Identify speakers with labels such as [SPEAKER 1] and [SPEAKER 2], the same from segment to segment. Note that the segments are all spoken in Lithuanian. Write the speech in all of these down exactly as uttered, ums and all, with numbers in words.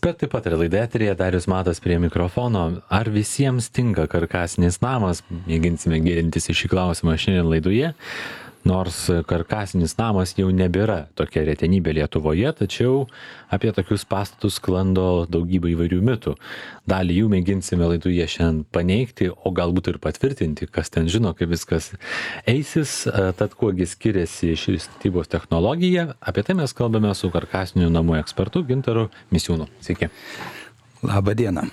[SPEAKER 1] Ekspertai pataria, laida eteryje, Darius Matas prie mikrofono. Ar visiems tinka karkasinis namas? Mėginsime gilintis į šį klausimą šiandien laidoje. Nors karkasinis namas jau nebėra tokia retenybė Lietuvoje, tačiau apie tokius pastatus sklando daugybė įvairių mitų. Dalį jų mėginsime laidoje šiandien paneigti, o galbūt ir patvirtinti, kas ten žino, kaip viskas eisis. Tad kuogi skiriasi ši statybos technologija, apie tai mes kalbame su karkasinių namų ekspertu Gintaru Misiūnu. Sveiki.
[SPEAKER 2] Labą dieną.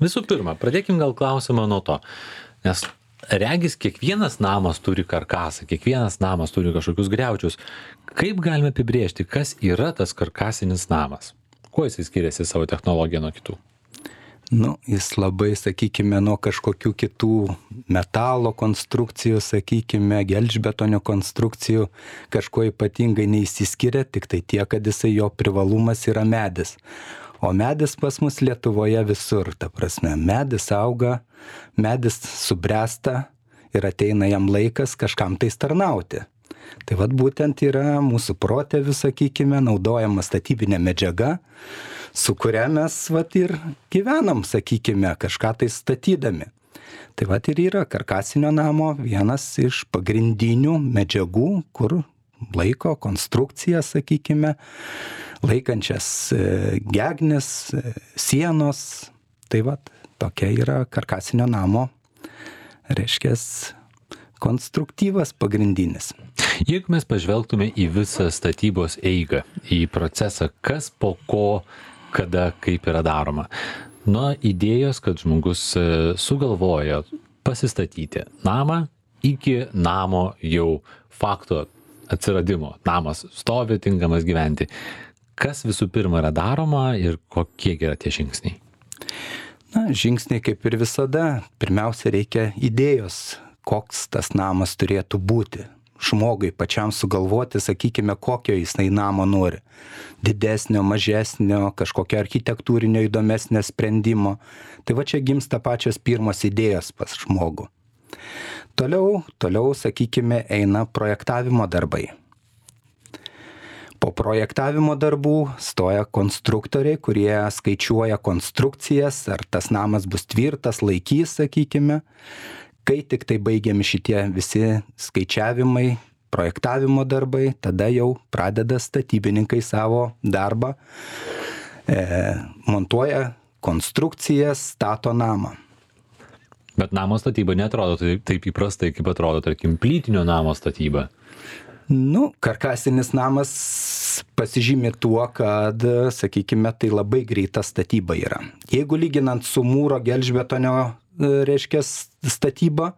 [SPEAKER 1] Visų pirma, pradėkim gal klausimą nuo to, nes regis kiekvienas namas turi karkasą, kiekvienas namas turi kažkokius griaučius. Kaip galime apibrėžti, kas yra tas karkasinis namas? Kuo jis skiriasi savo technologiją nuo kitų?
[SPEAKER 2] Nu, jis labai, sakykime, nuo kažkokių kitų metalo konstrukcijų, sakykime, gelžbetonio konstrukcijų kažkuo ypatingai neįsiskiria, tik tai tie, kad jisai jo privalumas yra medis. O medis pas mus Lietuvoje visur, ta prasme, medis auga, medis subręsta ir ateina jam laikas kažkam tais tarnauti. Tai vat būtent yra mūsų protėvių, sakykime, naudojama statybinė medžiaga, su kuria mes vat ir gyvenam, sakykime, kažką tai statydami. Tai vat ir yra karkasinio namo vienas iš pagrindinių medžiagų, kur laiko konstrukciją, sakykime, laikančias gegnes, sienos. Tai vat, tokia yra karkasinio namo, reiškia, konstruktyvas pagrindinis.
[SPEAKER 1] Jeigu mes pažvelgtume į visą statybos eigą, į procesą, kas po ko, kada, kaip yra daroma. Nuo idėjos, kad žmogus sugalvoja pasistatyti namą, iki namo jau fakto atsiradimo. Namas stovi, tinkamas gyventi. Kas visų pirma yra daroma ir kokie yra tie žingsniai?
[SPEAKER 2] Na, žingsniai kaip ir visada. Pirmiausia, reikia idėjos, koks tas namas turėtų būti. Žmogui pačiam sugalvoti, sakykime, kokio jisai namo nori. Didesnio, mažesnio, kažkokio architektūrinio įdomesnio sprendimo. Tai va čia gimsta pačios pirmos idėjos pas žmogų. Toliau, toliau, sakykime, eina projektavimo darbai. Po projektavimo darbų stoja konstruktoriai, kurie skaičiuoja konstrukcijas, ar tas namas bus tvirtas, laikys, sakykime. Kai tik tai baigiami šitie visi skaičiavimai, projektavimo darbai, tada jau pradeda statybininkai savo darbą, e, montuoja konstrukcijas, stato namą.
[SPEAKER 1] Bet namo statyba neatrodo taip, taip įprastai, kaip atrodo, tarkim, plytinio namo statyba.
[SPEAKER 2] Nu, karkasinis namas pasižymi tuo, kad, sakykime, tai labai greita statyba yra. Jeigu lyginant su mūro gelžbetonio, reiškia, statyba,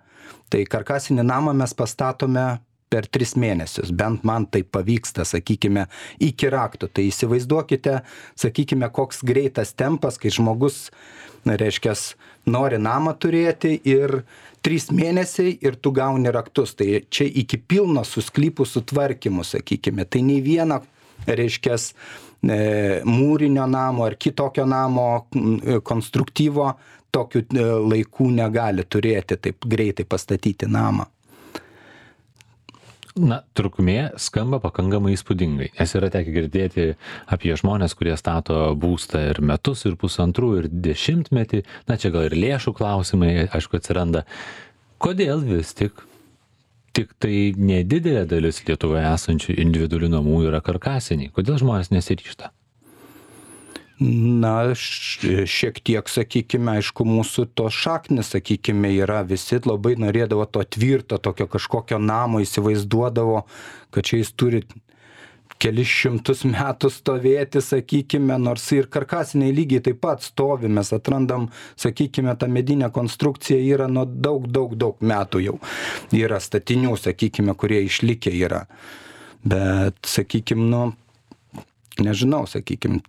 [SPEAKER 2] tai karkasinį namą mes pastatome per tris mėnesius. Bent man tai pavyksta, sakykime, iki raktų. Tai įsivaizduokite, sakykime, koks greitas tempas, kai žmogus, reiškia, nori namą turėti ir trys mėnesiai ir tu gauni raktus. Tai čia iki pilno su sklypų sutvarkymu, sakykime. Tai nei viena, reiškia, mūrinio namo ar kitokio namo konstruktyvo tokių laikų negali turėti, taip greitai pastatyti namą.
[SPEAKER 1] Na, trukmė skamba pakankamai įspūdingai, nes yra tekę girdėti apie žmonės, kurie stato būstą ir metus, ir pusantrų, ir dešimtmetį. Na, čia gal ir lėšų klausimai, aišku, atsiranda. Kodėl vis tik, tik tai nedidelė dalis Lietuvoje esančių individualių namų yra karkasiniai? Kodėl žmonės nesiryžta?
[SPEAKER 2] Na, šiek tiek, sakykime, aišku, mūsų to šaknis, sakykime, yra, visi labai norėdavo to tvirto, tokio kažkokio namo, įsivaizduodavo, kad čia jis turi kelis šimtus metų stovėti, sakykime, nors ir karkasiniai lygiai taip pat stovi, mes atrandam, sakykime, ta medinė konstrukcija yra nuo daug, daug, daug metų jau. Yra statinių, sakykime, kurie išlikę yra. Bet, sakykime, nu, nežinau, sakykime,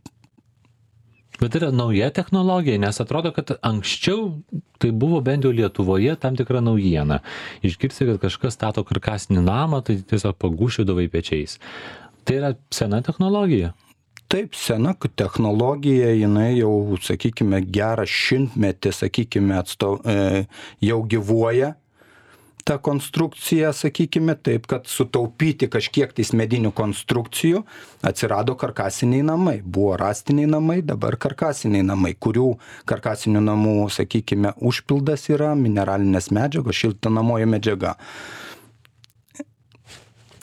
[SPEAKER 1] Bet yra nauja technologija, nes atrodo, kad anksčiau tai buvo bent jau Lietuvoje tam tikra naujiena. Išgirsti, kad kažkas stato karkasinį namą, tai tiesiog pagūšydavai pečiais. Tai yra sena technologija?
[SPEAKER 2] Taip, sena technologija, jinai jau, sakykime, gerą šimtmetį, sakykime, atsto, e, jau gyvuoja. ta konstrukcija, sakykime, taip, kad sutaupyti kažkiek tais medinių konstrukcijų atsirado karkasiniai namai. Buvo rąstiniai namai, dabar karkasiniai namai, kurių karkasinių namų, sakykime, užpildas yra mineralinės medžiagos, šiltinamoji medžiaga.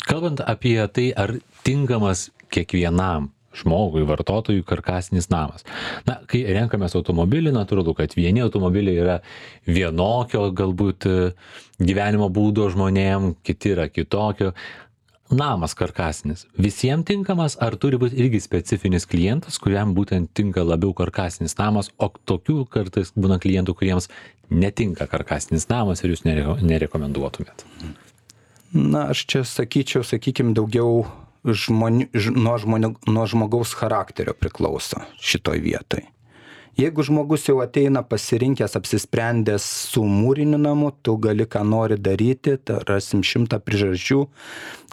[SPEAKER 1] Kalbant apie tai, ar tinkamas kiekvienam žmogui, vartotojui karkasinis namas. Na, kai renkamės automobilį, natūralu, kad vieni automobiliai yra vienokio galbūt gyvenimo būdo žmonėm, kiti yra kitokio. Namas karkasinis. Visiems tinkamas, ar turi būti irgi specifinis klientas, kuriam būtent tinka labiau karkasinis namas, o tokių kartais būna klientų, kuriems netinka karkasinis namas ir jūs nereko, nerekomenduotumėt?
[SPEAKER 2] Na, aš čia sakyčiau, sakykime, daugiau žmonių, nuo, žmonių, nuo žmogaus charakterio priklauso šitoj vietoj. Jeigu žmogus jau ateina pasirinkęs, apsisprendęs su mūriniu namu, tu gali ką nori daryti, rasim šimtą priežasčių,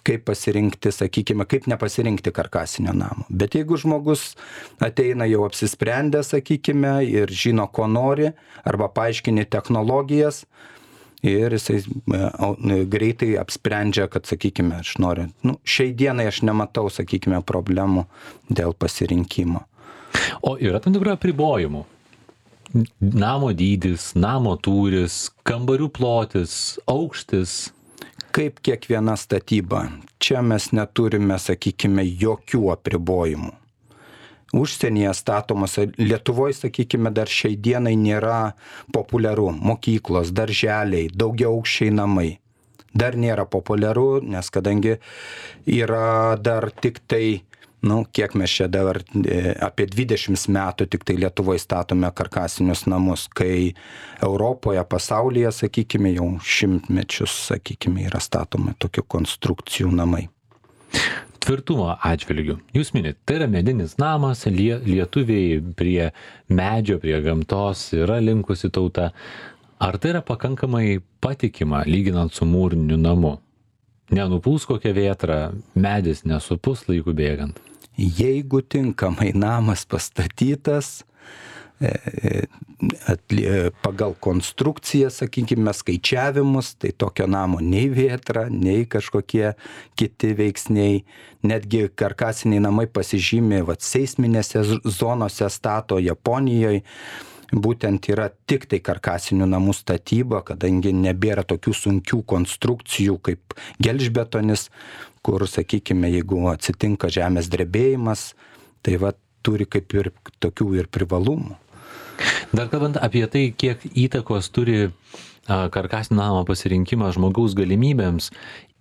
[SPEAKER 2] kaip pasirinkti, sakykime, kaip nepasirinkti karkasinio namo. Bet jeigu žmogus ateina jau apsisprendęs, sakykime, ir žino, ko nori, arba paaiškini technologijas, ir jisai greitai apsprendžia, kad, sakykime, aš noriu, nu, šiai dienai aš nematau, sakykime, problemų dėl pasirinkimo.
[SPEAKER 1] O yra tam tikrų apribojimų? Namo dydis, namo tūris, kambarių plotis, aukštis?
[SPEAKER 2] Kaip kiekviena statyba. Čia mes neturime, sakykime, jokių apribojimų. Užsienyje statomos, Lietuvoje, sakykime, dar šiai dienai nėra populiaru. Mokyklos, darželiai, daugiaaukščiai namai. Dar nėra populiaru, nes kadangi yra dar tik tai, nu, kiek mes čia dabar, apie dvidešimt metų tik tai Lietuvoje statome karkasinius namus, kai Europoje, pasaulyje, sakykime, jau šimtmečius, sakykime, yra statoma tokių konstrukcijų namai.
[SPEAKER 1] Tvirtumo atžvilgių. Jūs minit, tai yra medinis namas, lie, lietuviai prie medžio, prie gamtos yra linkusi tauta. Ar tai yra pakankamai patikima, lyginant su mūriniu namu? Nenupūs kokią vėtrą, medis nesupus laiku bėgant?
[SPEAKER 2] Jeigu tinkamai namas pastatytas, pagal konstrukciją, sakykime, skaičiavimus, tai tokio namo nei vėtra, nei kažkokie kiti veiksniai. Netgi karkasiniai namai pasižymė, vat, seisminėse zonose stato Japonijoje, būtent yra tik tai karkasinių namų statyba, kadangi nebėra tokių sunkių konstrukcijų kaip gelžbetonis, kur, sakykime, jeigu atsitinka žemės drebėjimas, tai vat, turi kaip ir tokių ir privalumų.
[SPEAKER 1] Dar kalbant apie tai, kiek įtakos turi karkasinio namo pasirinkimas žmogaus galimybėms,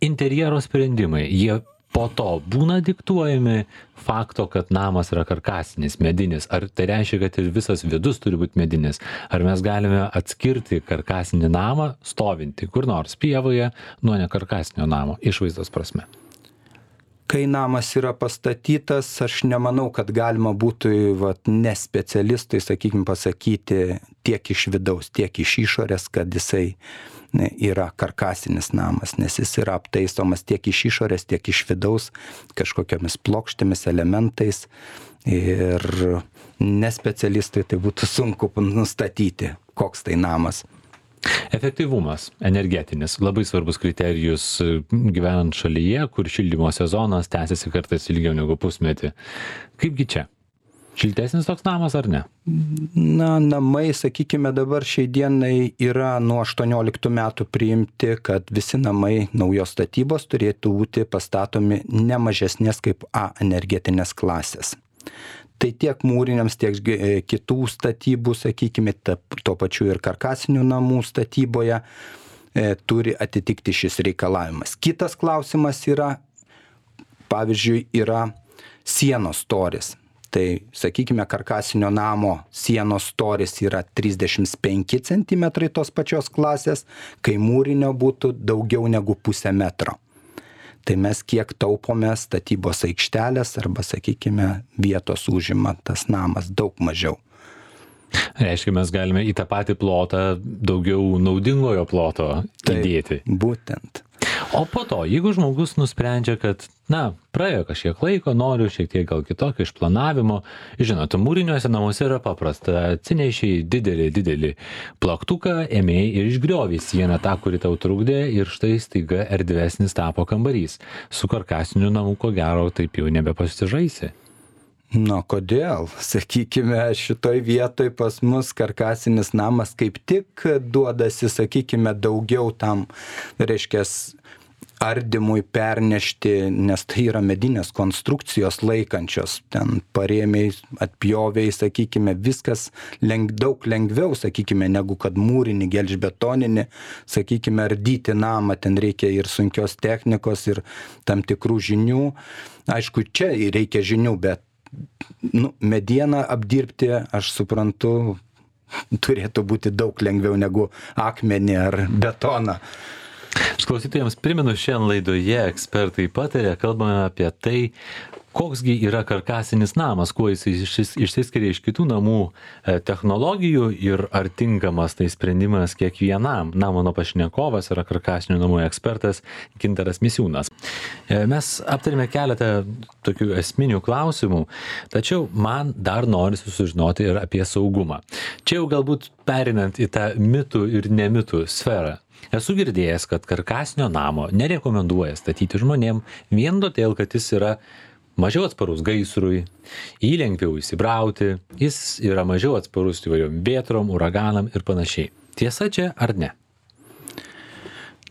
[SPEAKER 1] interjero sprendimai, jie po to būna diktuojami fakto, kad namas yra karkasinis, medinis. Ar tai reiškia, kad ir visas vidus turi būti medinis? Ar mes galime atskirti karkasinį namą, stovinti kur nors pievoje, nuo nekarkasinio namo, išvaizdos prasme?
[SPEAKER 2] Kai namas yra pastatytas, aš nemanau, kad galima būtų, vat, ne specialistui, sakykime, pasakyti tiek iš vidaus, tiek iš išorės, kad jisai yra karkasinis namas, nes jis yra aptaisomas tiek iš išorės, tiek iš vidaus kažkokiamis plokštėmis, elementais, ir nespecialistui tai būtų sunku nustatyti, koks tai namas.
[SPEAKER 1] Efektyvumas energetinis, labai svarbus kriterijus gyvenant šalyje, kur šildymo sezonas tęsiasi kartais ilgiau negu pusmetį. Kaipgi čia? Šiltesnis toks namas ar ne?
[SPEAKER 2] Na, namai, sakykime, dabar šiai dienai yra nuo aštuonioliktų metų priimti, kad visi namai naujos statybos turėtų būti pastatomi ne mažesnės kaip A energetinės klasės. Tai tiek mūriniams, tiek kitų statybų, sakykime, tuo pačiu ir karkasinių namų statyboje e, turi atitikti šis reikalavimas. Kitas klausimas yra, pavyzdžiui, yra sienos storis. Tai, sakykime, karkasinio namo sienos storis yra trisdešimt penki centimetrai tos pačios klasės, kai mūrinio būtų daugiau negu pusę metro. Tai mes kiek taupome statybos aikštelės arba, sakykime, vietos užima tas namas daug mažiau.
[SPEAKER 1] Reiškia, mes galime į tą patį plotą daugiau naudingojo ploto įdėti.
[SPEAKER 2] Taip, būtent.
[SPEAKER 1] O po to, jeigu žmogus nusprendžia, kad, na, praėjo kažkiek laiko, noriu šiek tiek gal kitokio išplanavimo, žinot, mūriniuose namuose yra paprasta, atsinešiai didelį, didelį plaktuką, ėmėjai ir išgriovė sieną tą, kuri tau trukdė ir štai staiga erdvesnis tapo kambarys. Su karkasiniu namu, ko gero, taip jau nebepasižaisi.
[SPEAKER 2] Na, kodėl? Sakykime, šitoj vietoj pas mus karkasinis namas kaip tik duodasi, sakykime, daugiau tam, reiškia, ardymui pernešti, nes tai yra medinės konstrukcijos laikančios, ten parėmiai, atpjoviai, sakykime, viskas leng, daug lengviau, sakykime, negu kad mūrinį, gelžbetoninį, sakykime, ardyti namą, ten reikia ir sunkios technikos, ir tam tikrų žinių. Aišku, čia reikia žinių, bet nu, medieną apdirbti, aš suprantu, turėtų būti daug lengviau negu akmenį ar betoną.
[SPEAKER 1] Klausytojams primenu, šiandien laidoje ekspertai patarė, kalbame apie tai, koksgi yra karkasinis namas, kuo jis išsiskiria iš kitų namų technologijų ir ar tinkamas tai sprendimas kiekvienam. Na, mano pašnekovas yra karkasinių namų ekspertas Gintaras Misiūnas. Mes aptarėme keletą tokių esminių klausimų, tačiau man dar norisi sužinoti ir apie saugumą. Čia jau galbūt perinant į tą mitų ir nemitų sferą. Esu girdėjęs, kad karkasinio namo nerekomenduoja statyti žmonėm vien todėl, kad jis yra mažiau atsparus gaisrui, jį lengviau įsibrauti, jis yra mažiau atsparus įvairiom vėtrom, uraganam ir panašiai. Tiesa čia ar ne?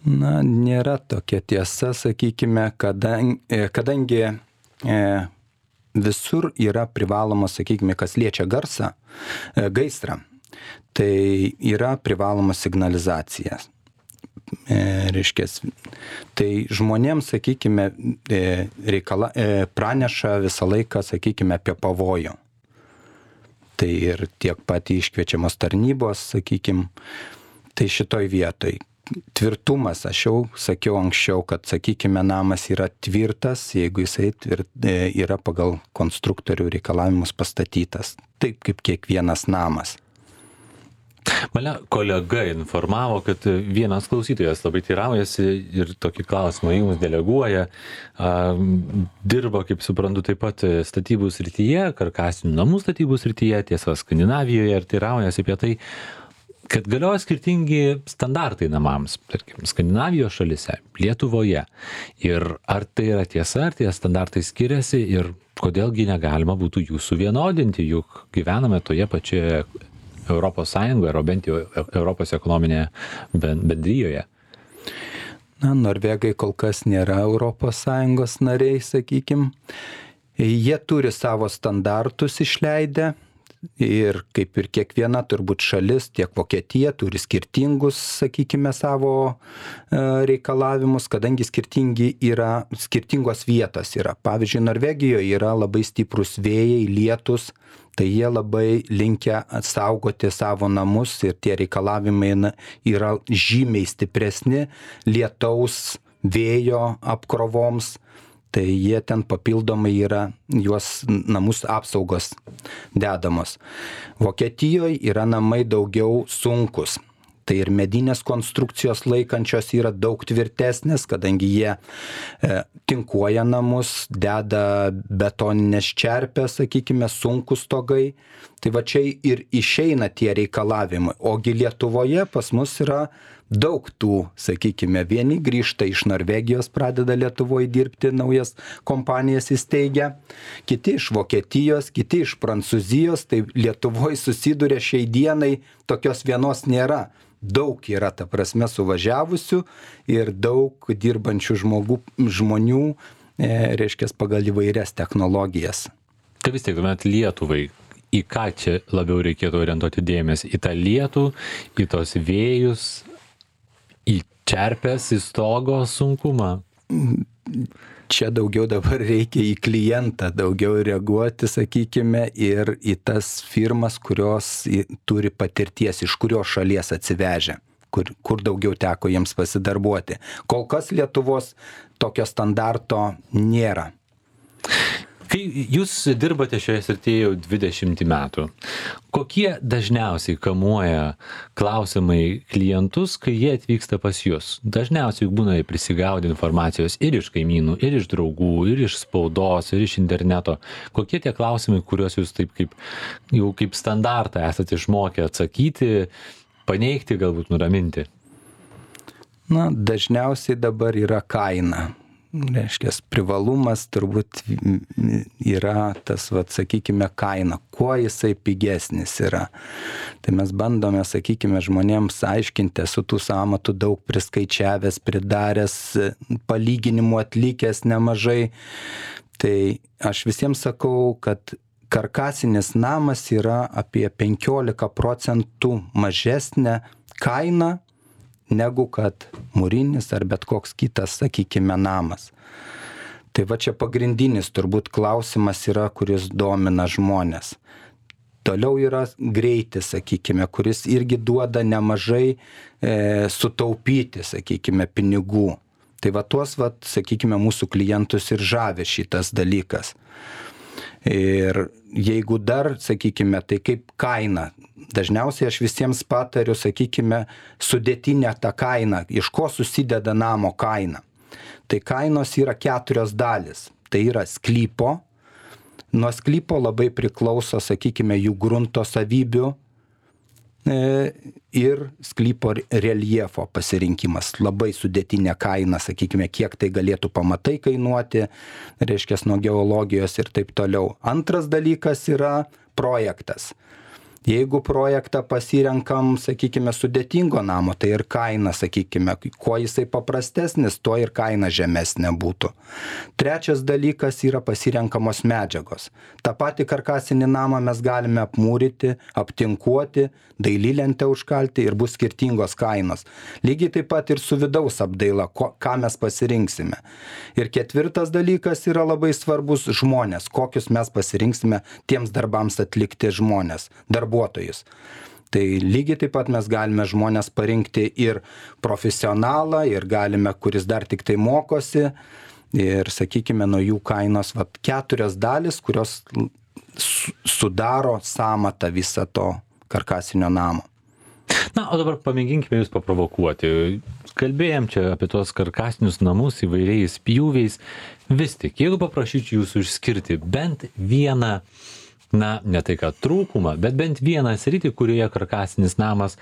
[SPEAKER 2] Na, nėra tokia tiesa, sakykime, kadangi, kadangi e, visur yra privaloma, sakykime, kas liečia garsą, e, gaisrą, tai yra privaloma signalizacija. E, reiškės, tai žmonėms, sakykime, e, reikala, e, praneša visą laiką, sakykime, apie pavojų. Tai ir tiek pat iškviečiamos tarnybos, sakykime, tai šitoj vietoj. Tvirtumas, aš jau sakiau anksčiau, kad, sakykime, namas yra tvirtas, jeigu jisai tvirt, e, yra pagal konstruktorių reikalavimus pastatytas. Taip kaip kiekvienas namas.
[SPEAKER 1] Mane kolega informavo, kad vienas klausytojas labai teiraujasi ir tokį klausimą jums deleguoja. Dirba, kaip suprantu, taip pat statybų srityje, karkasinių namų statybų srityje, tiesa Skandinavijoje, ir teiraujasi apie tai, kad galioja skirtingi standartai namams, tarkim, Skandinavijos šalise, Lietuvoje. Ir ar tai yra tiesa, ar tie standartai skiriasi ir kodėlgi negalima būtų jų suvienodinti, juk gyvename toje pačioje Europos Sąjungoje, ar bent jau Europos ekonominėje bendrijoje.
[SPEAKER 2] Na, Norvegai kol kas nėra Europos Sąjungos nariai, sakykim. Jie turi savo standartus išleidę ir kaip ir kiekviena turbūt šalis, tiek Vokietija turi skirtingus, sakykime, savo reikalavimus, kadangi skirtingi yra, skirtingos vietos yra. Pavyzdžiui, Norvegijoje yra labai stiprus vėjai, lietus, tai jie labai linkę saugoti savo namus ir tie reikalavimai yra žymiai stipresni lietaus, vėjo apkrovoms. Tai jie ten papildomai yra juos namus apsaugos dedamos. Vokietijoje yra namai daugiau sunkus. Tai ir medinės konstrukcijos laikančios yra daug tvirtesnės, kadangi jie e, tinkuoja namus, deda betoninės čerpės, sakykime, sunkus stogai. Tai va čia ir išeina tie reikalavimai. Ogi Lietuvoje pas mus yra daug tų, sakykime, vieni grįžta iš Norvegijos, pradeda Lietuvoje dirbti, naujas kompanijas įsteigia, kiti iš Vokietijos, kiti iš Prancūzijos, tai Lietuvoje susiduria šiai dienai, tokios vienos nėra. Daug yra, ta prasme, suvažiavusių ir daug dirbančių žmogų, žmonių, e, reiškia, pagal įvairias technologijas.
[SPEAKER 1] Tai vis tiek, tuomet Lietuvai, į ką čia labiau reikėtų orientuoti dėmesį? Į tą lietų, į tos vėjus, į čerpės, į stogo sunkumą?
[SPEAKER 2] Čia daugiau dabar reikia į klientą, daugiau reaguoti, sakykime, ir į tas firmas, kurios turi patirties, iš kurios šalies atsivežę, kur, kur daugiau teko jiems pasidarbuoti. Kol kas Lietuvos tokio standarto nėra.
[SPEAKER 1] Kai Kai jūs dirbate šioje srityje jau dvidešimt metų, kokie dažniausiai kamuoja klausimai klientus, kai jie atvyksta pas jūs? Dažniausiai juk būna prisigaudę informacijos ir iš kaimynų, ir iš draugų, ir iš spaudos, ir iš interneto. Kokie tie klausimai, kuriuos jūs taip kaip, jau kaip standartą esate išmokę atsakyti, paneigti, galbūt nuraminti?
[SPEAKER 2] Na, dažniausiai dabar yra kaina. Reiškia, privalumas turbūt yra tas, vat, sakykime, kaina, kuo jisai pigesnis yra. Tai mes bandome, sakykime, žmonėms aiškinti, su tų sąmatų daug priskaičiavęs, pridaręs, palyginimų atlikęs nemažai. Tai aš visiems sakau, kad karkasinis namas yra apie penkiolika procentų mažesnė kaina, negu kad mūrinis ar bet koks kitas, sakykime, namas. Tai va čia pagrindinis turbūt klausimas yra, kuris domina žmonės. Toliau yra greitis, sakykime, kuris irgi duoda nemažai e, sutaupyti, sakykime, pinigų. Tai va tuos, va, sakykime, mūsų klientus ir žavė šitas dalykas. Ir jeigu dar, sakykime, tai kaip kaina. Dažniausiai aš visiems patariu, sakykime, sudėtinę tą kainą, iš ko susideda namo kaina. Tai kainos yra keturios dalis. Tai yra sklypo. Nuo sklypo labai priklauso, sakykime, jų grunto savybių ir sklypo reljefo pasirinkimas. Labai sudėtinė kaina, sakykime, kiek tai galėtų pamatai kainuoti, reiškia, nuo geologijos ir taip toliau. Antras dalykas yra projektas. Jeigu projektą pasirenkam, sakykime, sudėtingo namo, tai ir kaina, sakykime, kuo jisai paprastesnis, tuo ir kaina žemesnė būtų. Trečias dalykas yra pasirenkamos medžiagos. Ta pati karkasinį namą mes galime apmūryti, aptinkuoti, dailylentę užkalti ir bus skirtingos kainos. Lygiai taip pat ir su vidaus apdaila, ko, ką mes pasirinksime. Ir ketvirtas dalykas yra labai svarbus žmonės, kokius mes pasirinksime tiems darbams atlikti žmonės, darbuotojus. Tai lygiai taip pat mes galime žmonės parinkti ir profesionalą, ir galime, kuris dar tik tai mokosi, ir, sakykime, nuo jų kainos vat, keturias dalis, kurios sudaro sąmatą visą to karkasinio namo.
[SPEAKER 1] Na, o dabar pamėginkime jūs paprovokuoti. Kalbėjom čia apie tuos karkasinius namus įvairiais pjūviais. Vis tik, jeigu paprašyčiau jūsų išskirti bent vieną, na, ne tai ką trūkumą, bet bent vieną sritį, kurioje karkasinis namas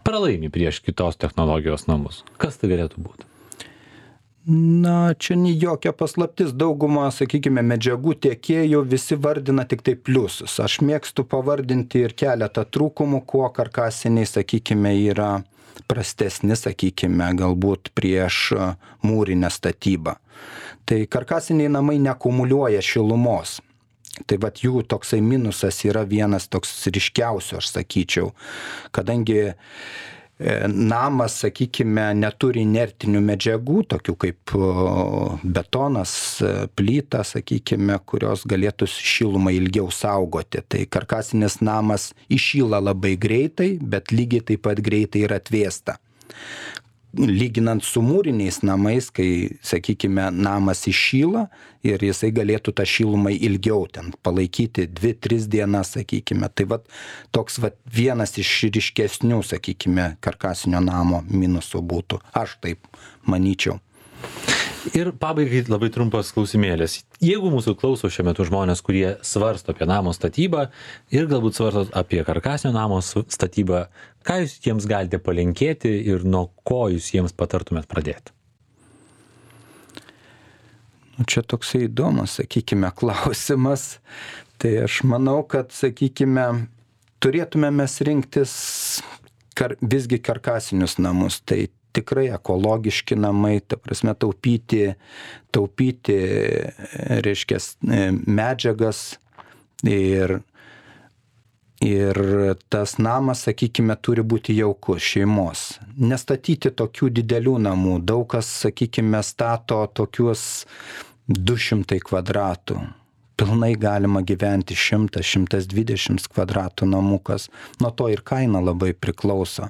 [SPEAKER 1] pralaimi prieš kitos technologijos namus. Kas tai galėtų būti?
[SPEAKER 2] Na, čia ne jokia paslaptis. Dauguma, sakykime, medžiagų tiekėjų visi vardina tik tai pliusus. Aš mėgstu pavardinti ir keletą trūkumų, kuo karkasiniai, sakykime, yra prastesni, sakykime, galbūt prieš mūrinę statybą. Tai karkasiniai namai neakumuliuoja šilumos. Tai vat jų toksai minusas yra vienas toks ryškiausių, aš sakyčiau, kadangi namas, sakykime, neturi inertinių medžiagų, tokių kaip betonas, plyta, sakykime, kurios galėtų šilumą ilgiau saugoti. Tai karkasinis namas įšyla labai greitai, bet lygiai taip pat greitai ir atvėsta. Lyginant su mūriniais namais, kai, sakykime, namas įšyla ir jisai galėtų tą šilumą ilgiau ten palaikyti dvi tris dienas, sakykime. Tai vat, toks vat, vienas iš ryškesnių, sakykime, karkasinio namo minusų būtų. Aš taip manyčiau.
[SPEAKER 1] Ir pabaigai labai trumpas klausimėlis. Jeigu mūsų klauso šiuo metu žmonės, kurie svarsto apie namo statybą ir galbūt svarsto apie karkasinio namo statybą, ką jūs jiems galite palinkėti ir nuo ko jūs jiems patartumėt pradėti?
[SPEAKER 2] Čia toksai įdomus, sakykime, klausimas. Tai aš manau, kad, sakykime, turėtume mes rinktis kar, visgi karkasinius namus. Tai tikrai ekologiški namai, ta prasme taupyti, taupyti, reiškia, medžiagas ir, ir tas namas, sakykime, turi būti jaukus šeimos. Nestatyti tokių didelių namų. Daug kas, sakykime, stato tokius du šimtai kvadratų. Pilnai galima gyventi šimtas šimtas dvidešimt kvadratų namukas. Nuo to ir kaina labai priklauso.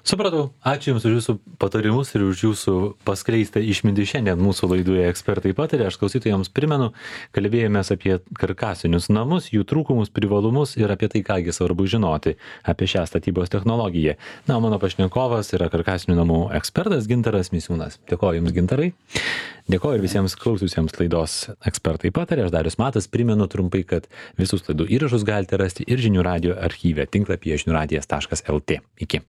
[SPEAKER 1] Supratau. Ačiū Jums už Jūsų patarimus ir už Jūsų paskleistą išmintį šiandien mūsų laidoje Ekspertai pataria. Aš klausytojams primenu, kalbėjomės apie karkasinius namus, jų trūkumus, privalumus ir apie tai, kągi svarbu žinoti apie šią statybos technologiją. Na, o mano pašnekovas yra karkasinių namų ekspertas Gintaras Misiūnas. Dėkoju Jums, Gintarai. Dėkoju ir visiems klausiusiems laidos Ekspertai pataria. Aš Darius Matas, primenu trumpai, kad visus laidų įrašus galite rasti ir žinių radijo archyve tinklapyje žinių radijas taškas lt. Iki.